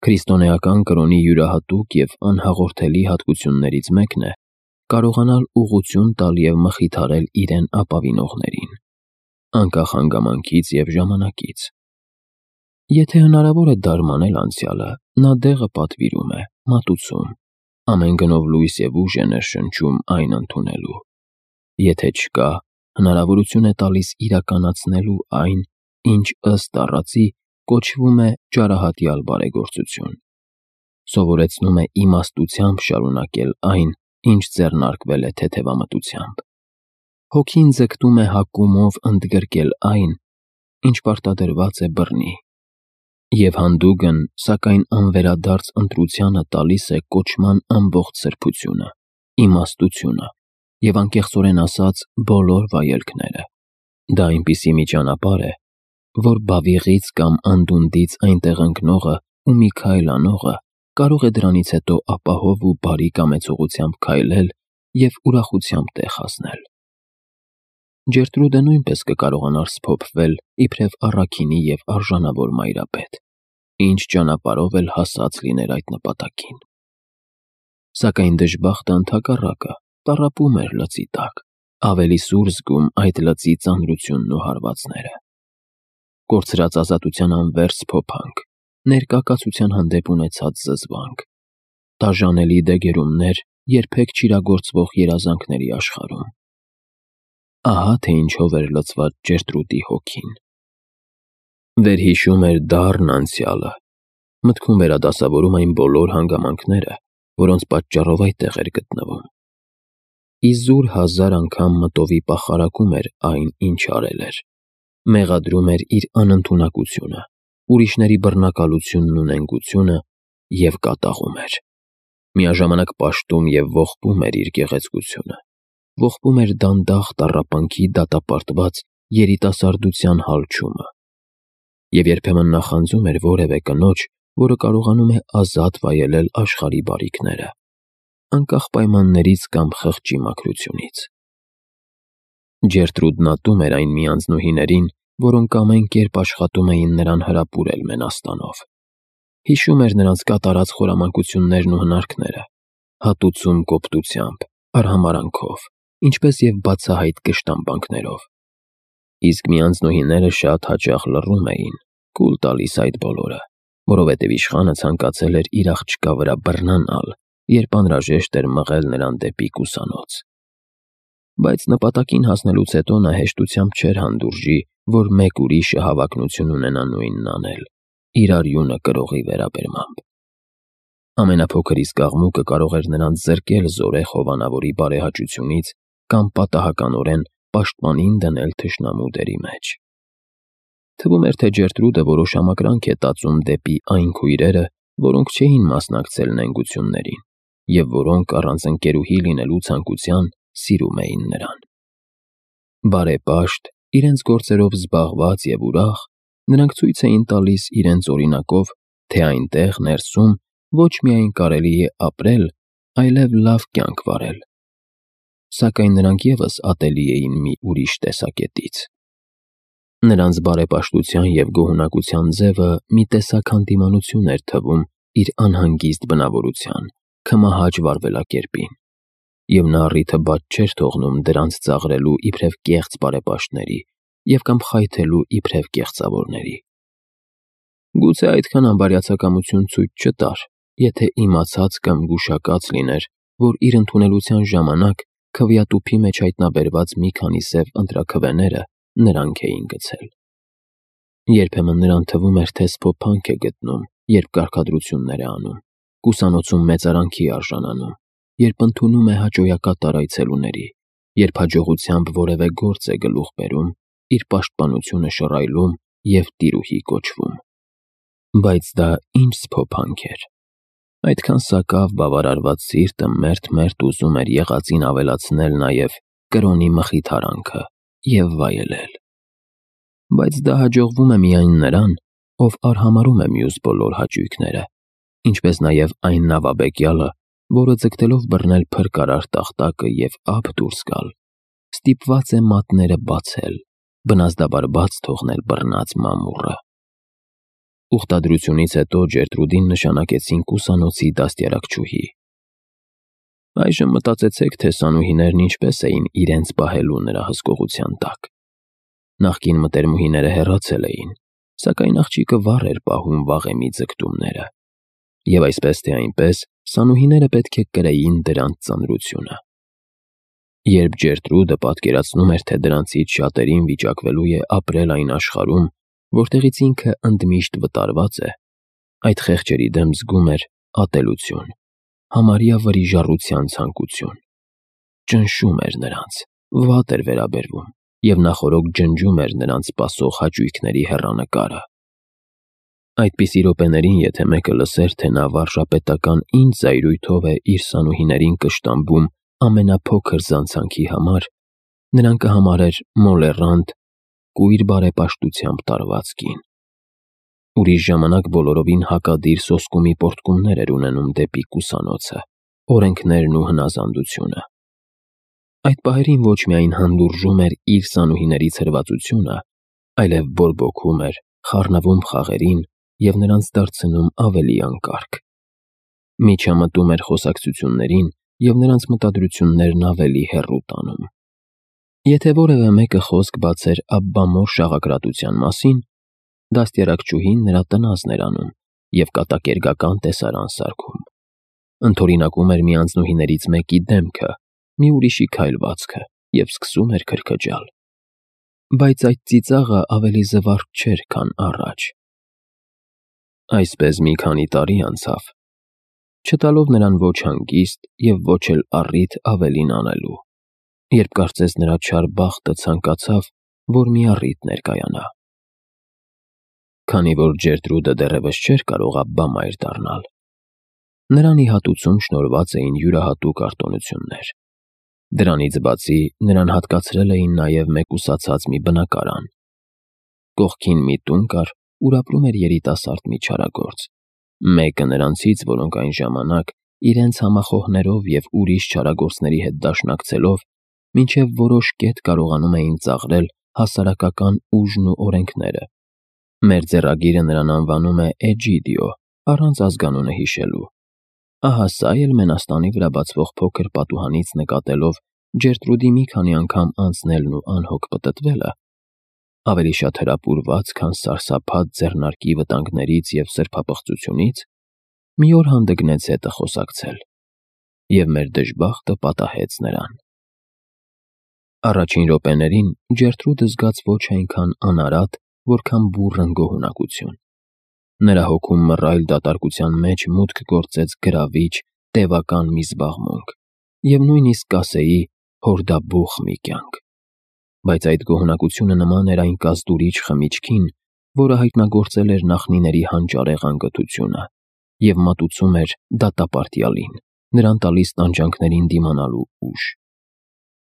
Քրիստոնեական կրոնի յուրահատուկ և անհաղորդելի հատկություններից մեկն է կարողանալ ուղղություն տալ և մխիթարել իրեն ապավինողներին, անկախ հանգամանքից և ժամանակից։ Եթե հնարավոր է դարմանել անցյալը, նա դեղը պատվիրում է, մատուցում, ամեն գնով լույս և ուժ է ներշնչում այն ընդունելու։ Եթե չկա, հնարավորություն է տալիս իրականացնելու այն, ինչ ըստ առածի կոչվում է ճարահատյալ բարեգործություն։ Սովորեցնում է իմաստությամբ շարունակել այն, ինչ ձեռնարկվել է թեթևամտությամբ։ Հոգին ձգտում է հակումով ընդգրկել այն, ինչ պարտադրված է բռնի։ Եվ հանդուգն, սակայն անվերադարձ ընտրությանը տալիս է կոչման ամբողջ սրբությունը, իմաստությունը և անկեղծորեն ասած բոլոր վայելքները։ Դա այնպիսի մի ճանապարհ է, որ բավիղից կամ անդունդից այնտեղ ընկնողը ու մի քայլ անողը կարող է դրանից հետո ապահով ու բարի կամեցողությամբ քայլել և ուրախությամբ տեղ հասնել։ Ջերտրուդը նույնպես կկարողանար սփոփվել իբրև առաքինի և արժանավոր մայրապետ, ինչ ճանապարհով էլ հասած լիներ այդ նպատակին։ Սակայն դժբախտը ընդհակառակը տառապում էր լծի տակ, ավելի սուր զգում այդ լծի ծանրությունն ու հարվածները։ Կորցրած ազատության անվերջ սփոփանք, ներկա կացության հանդեպ ունեցած զզվանք, տաժանելի դեգերումներ երբեք չիրագործվող երազանքների աշխարհում։ Ահա թե ինչով էր լցված Ջերտրուդի հոգին։ Վերհիշում էր դառն անցյալը, մտքում վերադասավորում այն բոլոր հանգամանքները, որոնց պատճառով այդտեղ էր գտնվում։ Իզուր հազար անգամ մտովի պախարակում էր այն, ինչ արել էր, մեղադրում էր իր անընդունակությունը, ուրիշների բռնակալությունն ու նենգությունը և կատաղում էր։ Միաժամանակ պաշտում և ողբում էր իր գեղեցկությունը, ողբում էր դանդաղ տառապանքի դատապարտված երիտասարդության հալչումը։ Եվ երբեմն նախանձում էր որևէ կնոջ, որը կարողանում է ազատ վայելել աշխարհի բարիքները, անկախ պայմաններից կամ խղճի մաքրությունից։ Ջերտրուդն ատում էր այն մի անձնուհիներին, որոնք ամեն կերպ աշխատում էին նրան հրապուրել մենաստանով։ Հիշում էր նրանց կատարած խորամանկություններն ու հնարքները, հատուցում կոպտությամբ, արհամարհանքով, ինչպես և բացահայտ կշտամբանքներով։ Իսկ մի անձնուհիները շատ հաճախ լռում էին, կուլ տալիս այդ բոլորը, որովհետև իշխանը ցանկացել էր իր աղջկա վրա բռնանալ, երբ անհրաժեշտ էր մղել նրան դեպի կուսանոց։ Բայց նպատակին հասնելուց հետո նա հեշտությամբ չէր հանդուրժի, որ մեկ ուրիշը հավակնություն ունենա նույնն անել, իր արյունը կրողի վերաբերմամբ։ Ամենափոքր իսկ աղմուկը կարող էր նրան զրկել զորեղ հովանավորի բարեհաճությունից կամ պատահականորեն պաշտպանին դնել թշնամու դերի մեջ։ Թվում էր, թե Ջերտրուդը որոշ ամակրանք է տածում դեպի այն քույրերը, որոնք չէին մասնակցել նենգություններին և որոնք առանց ընկերուհի լինելու ցանկության սիրում էին նրան։ Բարեպաշտ, իրենց գործերով զբաղված և ուրախ, նրանք ցույց էին տալիս իրենց օրինակով, թե այնտեղ ներսում ոչ միայն կարելի է ապրել, այլև լավ կյանք վարել։ Սակայն նրանք ևս ատելի էին մի ուրիշ տեսակետից։ Նրանց բարեպաշտության և գոհունակության ձևը մի տեսակ հանդիմանություն էր թվում իր անհանգիստ բնավորության, քմահաճ վարվելակերպին, և նա առիթը բաց չէր թողնում դրանց ծաղրելու իբրև կեղծ բարեպաշտների և կամ խայթելու իբրև կեղծավորների։ Գուցե այդքան անբարյացակամություն ցույց չտար, եթե իմացած կամ գուշակած լիներ, որ իր ընդունելության ժամանակ քվեատուփի մեջ հայտնաբերված մի քանի սև ընտրաքվեները նրանք էին գցել։ Երբեմն նրան թվում էր, թե սփոփանք է գտնում, երբ կարգադրություններ է անում, կուսանոցում մեծարանքի արժանանում, երբ ընդունում է հաճոյակատար այցելուների, երբ հաջողությամբ որևէ գործ է գլուխ բերում, իր պաշտպանությունը շռայլում և տիրուհի կոչվում։ Բայց դա ինչ սփոփանք էր։ Այդքան սակավ բավարարված սիրտը մերթ-մերթ ուզում էր եղածին ավելացնել նաև կրոնի մխիթարանքը և վայելել։ Բայց դա հաջողվում է միայն նրան, ով արհամարհում է մյուս բոլոր հաճույքները, ինչպես նաև այն նավաբեկյալը, որը ձգտելով բռնել փրկարար տախտակը և ափ դուրս գալ, ստիպված է մատները բացել, բնազդաբար բաց թողնել բռնած մամուռը։ Ուխտադրությունից հետո Ջերտրուդին նշանակեցին կուսանոցի դաստիարակչուհի։ Այժմ մտածեցեք, թե սանուհիներն ինչպես էին իրենց պահելու նրա հսկողության տակ։ Նախկին մտերմուհիները հեռացել էին, սակայն աղջիկը վառ էր պահում վաղեմի ձգտումները։ Եվ այսպես թե այնպես, սանուհիները պետք է կրեին դրանց ծանրությունը։ Երբ Ջերտրուդը պատկերացնում էր, թե դրանցից շատերին վիճակվելու է ապրել այն աշխարհում, որտեղից ինքը ընդմիշտ վտարված է, այդ խեղճերի դեմ զգում էր ատելություն, համարյա վրիժառության ցանկություն։ Ճնշում էր նրանց, վատ էր վերաբերվում և նախօրոք ջնջում էր նրանց սպասող հաճույքների հեռանկարը։ Այդպիսի րոպեներին, եթե մեկը լսեր, թե նա վարժապետական ինչ զայրույթով է իր սանուհիներին կշտամբում ամենափոքր զանցանքի համար, նրան կհամարեր մոլեռանդ, կույր բարեպաշտությամբ տարված կին։ Ուրիշ ժամանակ բոլորովին հակադիր սոսկումի պոռթկումներ էր ունենում դեպի կուսանոցը, օրենքներն ու հնազանդությունը։ Այդ պահերին ոչ միայն հանդուրժում էր իր սանուհիներից հրվածությունը, այլև բորբոքում էր, խառնվում խաղերին և նրանց դարձնում ավելի անկարգ։ Միջամտում էր խոսակցություններին և նրանց մտադրություններն ավելի հեռու տանում։ Եթե որևէ մեկը խոսք բացեր Աբբամոր շաղակրատության մասին, դաստիարակչուհին նրա տնազն էր անում և կատակերգական տեսարան սարքում։ Ընդօրինակում էր մի անձնուհիներից մեկի դեմքը, մի ուրիշի քայլվածքը և սկսում էր քրքջալ։ Բայց այդ ծիծաղը ավելի զվարթ չէր, քան առաջ։ Այսպես մի քանի տարի անցավ, չտալով նրան ոչ հանգիստ և ոչ էլ առիթ ավելին անելու, երբ կարծես նրա չար բախտը ցանկացավ, որ մի առիթ ներկայանա։ Քանի որ Ջերտրուդը դեռևս չէր կարող Աբբամայր դառնալ, նրան ի հատուցում շնորհված էին յուրահատուկ արտոնություններ։ Դրանից բացի նրան հատկացրել էին նաև մեկուսացած մի բնակարան։ Կողքին մի տուն կար, ուր ապրում էր երիտասարդ մի չարագործ, մեկը նրանցից, որոնք այն ժամանակ իրենց համախոհներով և ուրիշ չարագործների հետ դաշնակցելով մինչև որոշ կետ կարողանում էին ծաղրել հասարակական ուժն ու օրենքները։ Մեր ձեռագիրը նրան անվանում է Էջիդիո, առանց ազգանունը հիշելու։ Ահա սա էլ Մենաստանի վրա բացվող փոքր պատուհանից նկատելով Ջերտրուդի մի քանի անգամ անցնելն ու անհոգ պտտվելը, ավելի շատ հրապուրված, քան սարսափած ձեռնարկի վտանգներից և սրբապղծությունից, մի օր հանդգնեց հետը խոսակցել, և մեր դժբախտը պատահեց նրան։ Առաջին րոպեներին Ջերտրուդը զգաց ոչ այնքան անարատ, որքան բուռն գոհունակություն։ Նրա հոգում մռայլ դատարկության մեջ մուտք գործեց գրավիչ, տևական մի զբաղմունք և նույնիսկ կասեի հորդաբուխ մի կյանք։ Բայց այդ գոհունակությունը նման էր այն կազդուրիչ խմիչքին, որը հայտնագործել էր նախնիների հանճարեղ անկթությունը և մատուցում էր դատապարտյալին, նրան տալիս տանջանքներին դիմանալու ուժ։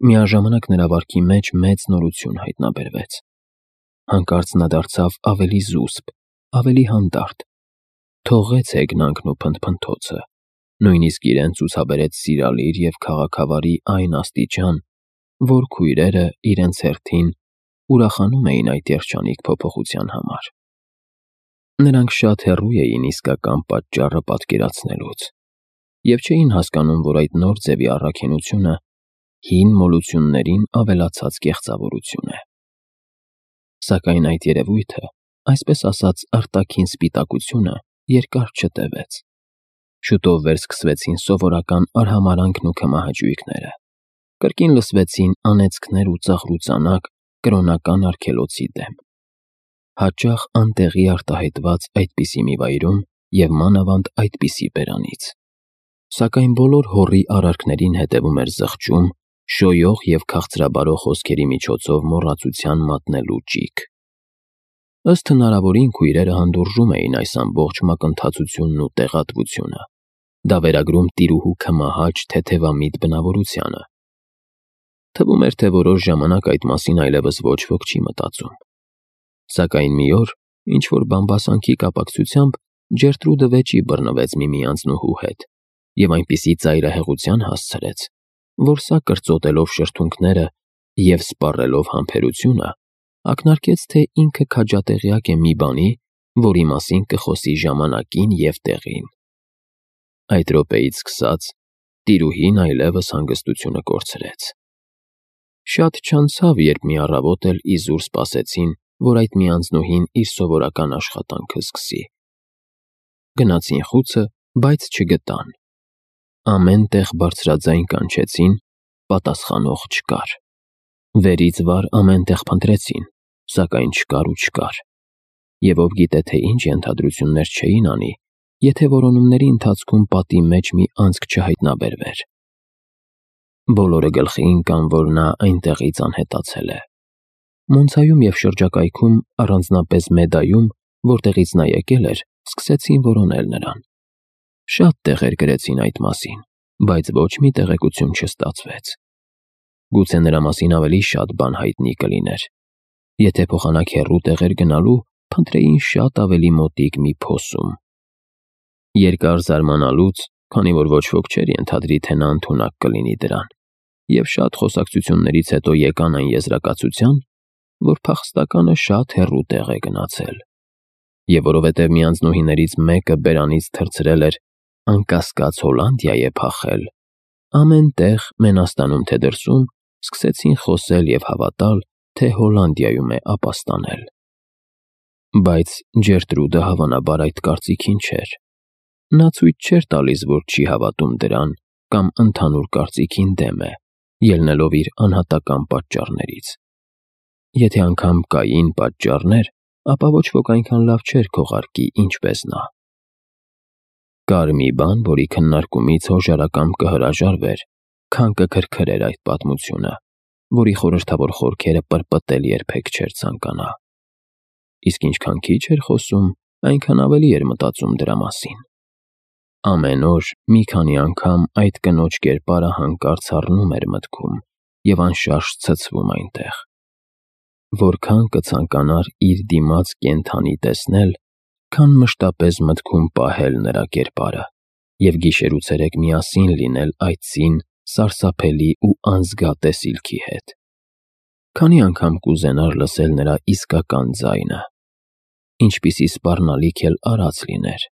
Միաժամանակ նրա վարքի մեջ մեծ նորություն հայտնաբերվեց։ Հանկարծ նա դարձավ ավելի զուսպ, ավելի հանդարտ, թողեց հեգնանքն ու փնթփնթոցը, նույնիսկ իրեն ցուցաբերեց սիրալիր և քաղաքավարի այն աստիճան, որ քույրերը իրենց հերթին ուրախանում էին այդ երջանիկ փոփոխության համար։ Նրանք շատ հեռու էին իսկական պատճառը պատկերացնելուց և չէին հասկանում, որ այդ նոր ձևի առաքինությունը հին մոլություններին ավելացած կեղծավորություն է։ Սակայն այդ երևույթը, այսպես ասած արտաքին սպիտակությունը, երկար չտևեց։ Շուտով վերսկսվեցին սովորական արհամարհանքն ու քմահաճույքները։ Կրկին լսվեցին անեծքներ ու ծաղրուծանակ կրոնական արգելոցի դեմ։ Հաճախ անտեղի արտահայտված այդպիսի մի վայրում և մանավանդ այդպիսի բերանից։ Սակայն բոլոր հոռի արարքներին հետևում էր զղջում, շոյող և քաղցրաբարող խոսքերի միջոցով մոռացության մատնելու ճիգ։ Ըստ հնարավորին քույրերը հանդուրժում էին այս ամբողջ մակընթացությունն ու տեղատվությունը։ Դա վերագրում տիրուհու քմահաճ, թեթևամիտ բնավորությանը։ Թվում էր, թե որոշ ժամանակ այդ մասին այլևս ոչ ոք չի մտածում։ Սակայն մի օր, ինչ-որ բամբասանքի կապակցությամբ Ջերտրուդը վեճի բռնվեց մի անձնուհու հետ և այնպիսի ծայրահեղության հասցրեց, որ սա կրծոտելով շրթունքները և սպառելով համբերությունը, ակնարկեց, թե ինքը քաջատեղյակ է մի բանի, որի մասին կխոսի ժամանակին և տեղին։ Այդ րոպեից սկսած տիրուհին այլևս հանգստությունը կորցրեց։ Շատ չանցավ, երբ մի առավոտ էլ իզուր սպասեցին, որ այդ մի անձնուհին իր սովորական աշխատանքը սկսի։ Գնացին խուցը, բայց չգտան։ Ամեն տեղ բարձրաձայն կանչեցին, պատասխանող չկար։ Վերից վար ամեն տեղ փնտրեցին, սակայն չկար։ Եվ ով գիտե թե ինչ ենթադրություններ չէին անի, եթե որոնումների ընթացքում պատի մեջ մի անցք չհայտնաբերվեր։ Բոլորը գլխի ընկան, որ նա այնտեղից անհետացել է։ Մոնցայում և շրջակայքում, առանձնապես Մեդայում, որտեղից նա եկել էր, սկսեցին որոնել նրան։ Շատ տեղեր գրեցին այդ մասին, բայց ոչ մի տեղեկություն չստացվեց։ Գուցե նրա մասին ավելի շատ բան հայտնի կլիներ։ Եթե փոխանակ հեռու տեղեր գնալու, փնտրեին շատ ավելի մոտիկ մի փոսում։ Երկար զարմանալուց, քանի որ ոչ ոք չէր ենթադրի, թե նա ընդունակ կլինի դրան, և շատ խոսակցություններից հետո եկան այն եզրակացության, որ փախստականը շատ հեռու տեղ է գնացել։ Եվ որովհետև մի անձնուհիներից մեկը բերանից թռցրել էր, անկասկած Հոլանդիա է փախել, ամեն տեղ, Մենաստանում թե դրսում, սկսեցին խոսել և հավատալ, թե Հոլանդիայում է ապաստանել։ Բայց Ջերտրուդը հավանաբար այդ կարծիքին չէր։ Նա ցույց չէր տալիս, որ չի հավատում դրան կամ ընդհանուր կարծիքին դեմ է, ելնելով իր անհատական պատճառներից։ Եթե անգամ կային պատճառներ, ապա ոչ ոք այնքան լավ չէր քողարկի, ինչպես նա։ Կար մի բան, որի քննարկումից հոժարակամ կհրաժարվեր, քան կքրքրեր այդ պատմությունը, որի խորհրդավոր խորքերը պրպտել երբեք չէր ցանկանա։ Իսկ ինչքան քիչ էր խոսում, այնքան ավելի էր մտածում դրա մասին։ Ամեն օր մի քանի անգամ այդ կնոջ կերպարը հանկարծ առնում էր մտքում և անշարժ ցցվում այնտեղ։ Որքան կցանկանար իր դիմաց կենդանի տեսնել, քան մշտապես մտքում պահել նրա կերպարը և գիշեր ու ցերեկ միասին լինել այդ ծին, սարսափելի ու անզգա տեսիլքի հետ։ Քանի անգամ կուզենար լսել նրա իսկական ձայնը, ինչպիսի սպառնալիք էլ արած լիներ,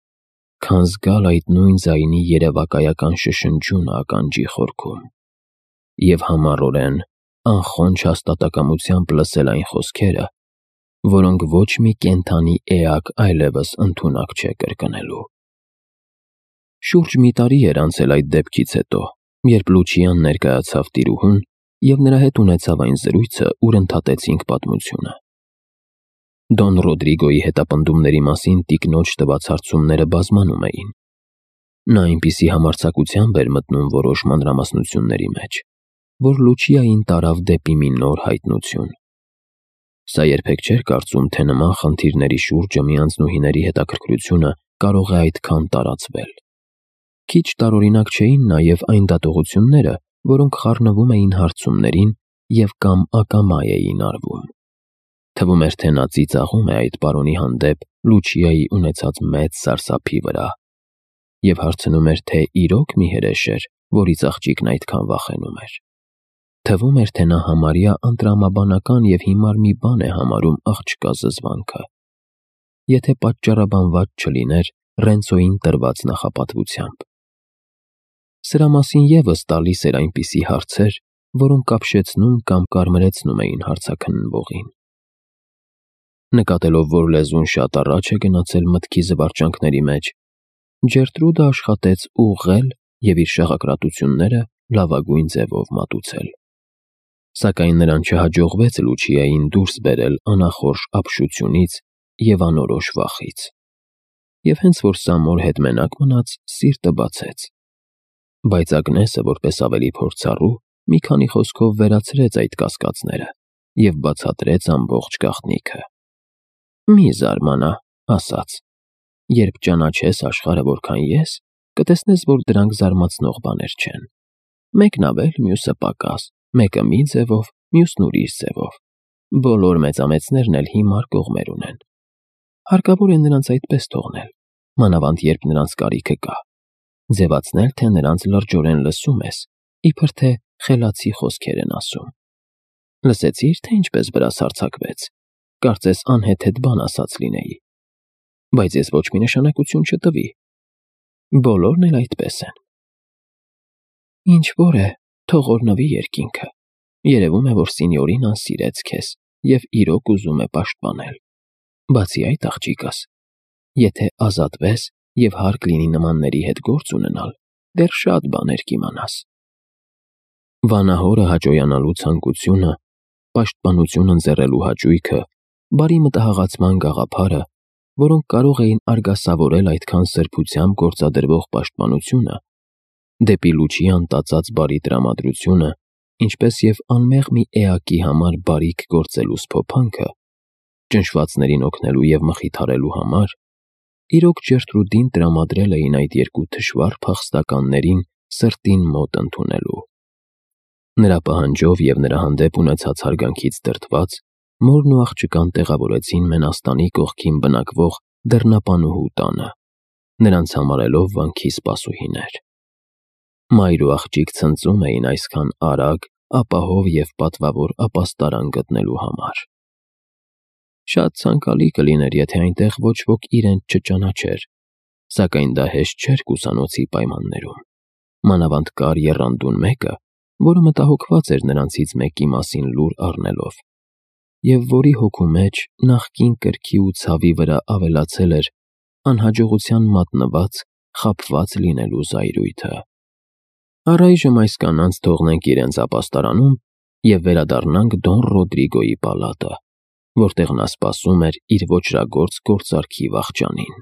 քան զգալ այդ նույն ձայնի երևակայական շշնջյունը ականջի խորքում, և համառորեն, անխոնջ հաստատակամությամբ լսել այն խոսքերը, որոնք ոչ մի կենդանի էակ այլևս ընդունակ չէ կրկնելու։ Շուրջ մի տարի էր անցել այդ դեպքից հետո, երբ Լուչիան ներկայացավ տիրուհուն և նրա հետ ունեցավ այն զրույցը, ուր ընդհատեցինք պատմությունը։ Դոն Ռոդրիգոյի հետապնդումների մասին տիկնոջ տված հարցումները բազմանում էին։ Նա այնպիսի համարձակությամբ էր մտնում որոշ մանրամասնությունների մեջ, որ Լուչիային տարավ դեպի մի նոր հայտնություն։ Սա երբեք չէր կարծում, թե նման խնդիրների շուրջը մի անձնուհիների հետաքրքրությունը կարող է այդքան տարածվել։ Քիչ տարօրինակ չէին նաև այն դատողությունները, որոնք խառնվում էին հարցումներին և կամ ակամա էին արվում։ Թվում էր, թե նա ծիծաղում է այդ պարոնի հանդեպ Լուչիայի ունեցած մեծ սարսափի վրա և հարցնում էր, թե իրոք մի հրեշ էր, որից աղջիկն այդքան վախենում էր։ Թվում էր, թե նա համարյա ընտրամաբանական և հիմար մի բան է համարում աղջկա զզվանքը, եթե պատճառաբանված չլիներ Ռենցոյին տրված նախապատվությամբ։ Սրա մասին ևս տալիս էր այնպիսի հարցեր, որոնք ապշեցնում կամ կարմրեցնում էին հարցաքննվողին։ Նկատելով, որ լեզուն շատ առաջ է գնացել մտքի զվարճանքների մեջ, Ջերտրուդը աշխատեց ուղղել և իր շաղակրատությունները լավագույն ձևով մատուցել։ Սակայն նրան չհաջողվեց Լուչիային դուրս բերել անախորժ ապշությունից և անորոշ վախից։ Եվ հենց որ Սամոր հետ մենակ մնաց, սիրտը բացեց։ Բայց Ագնեսը, որպես ավելի փորձառու, մի քանի խոսքով վերացրեց այդ կասկածները և բացատրեց ամբողջ գաղտնիքը։ «Մի զարմանա», ասաց, «երբ ճանաչես աշխարհը որքան ես, կտեսնես, որ դրանք զարմացնող բաներ չեն։ Մեկն ավել, մյուսը պակաս, մեկը մի ձևով, մյուսն ուրիշ ձևով։ Բոլոր մեծամեծներն էլ հիմար կողմեր ունեն։ Հարկավոր է նրանց այդպես թողնել, մանավանդ երբ նրանց կարիքը կա, ձևացնել, թե նրանց լրջորեն լսում ես, իբր թե խելացի խոսքեր են ասում։ Լսեցի՞ր, թե ինչպես վրաս հարձակվեց, կարծես անհեթեթ բան ասած լինեի։ բայց ես ոչ մի նշանակություն չտվի։ Բոլորն էլ այդպես են։ Ինչ որ է, թող օրհնվի երկինքը։ Երևում է, որ սինյորինան սիրեց քեզ և իրոք ուզում է պաշտպանել։ Բացի այդ, աղջիկս, եթե ազատվես և հարկ լինի նմանների հետ գործ ունենալ, դեռ շատ բաներ կիմանաս։ Վանահորը հաճոյանալու ցանկությունը, պաշտպանություն ընձեռելու հաճույքը, բարի մտահղացման գաղափարը, որոնք կարող էին արգասավորել այդքան սրբությամբ գործադրվող պաշտպանությունը, դեպի լուչի անտածած բարի տրամադրությունը, ինչպես և անմեղ մի էակի համար բարիք գործելու սփոփանքը, ճնշվածներին օգնելու և մխիթարելու համար, իրոք Ջերտրուդին տրամադրել էին այդ երկու թշվառ փախստականներին սրտին մոտ ընդունելու։ Նրա պահանջով և նրա հանդեպ ունեցած հարգանքից դրդված, մորն ու աղջկան տեղավորեցին մենաստանի կողքին բնակվող դռնապանուհու տանը, նրանց համարելով վանքի սպասուհիներ։ Մայր ու աղջիկ ցնծում էին այսքան արագ, ապահով և պատվավոր ապաստարան գտնելու համար։ Շատ ցանկալի կլիներ, եթե այնտեղ ոչ ոք իրենց չճանաչեր, սակայն դա հեշտ չէր կուսանոցի պայմաններում, մանավանդ կար եռանդուն մեկը, որը մտահոգված էր նրանցից մեկի մասին լուր առնելով, և որի հոգու մեջ նախկին կրքի ու ցավի վրա ավելացել էր անհաջողության մատնված, խաբված լինելու զայրույթը։ Առայժմ այս կանանց թողնենք իրենց ապաստարանում և վերադառնանք Դոն Ռոդրիգոյի պալատը, որտեղ նա սպասում էր իր ոճրագործ գործարքի վախճանին։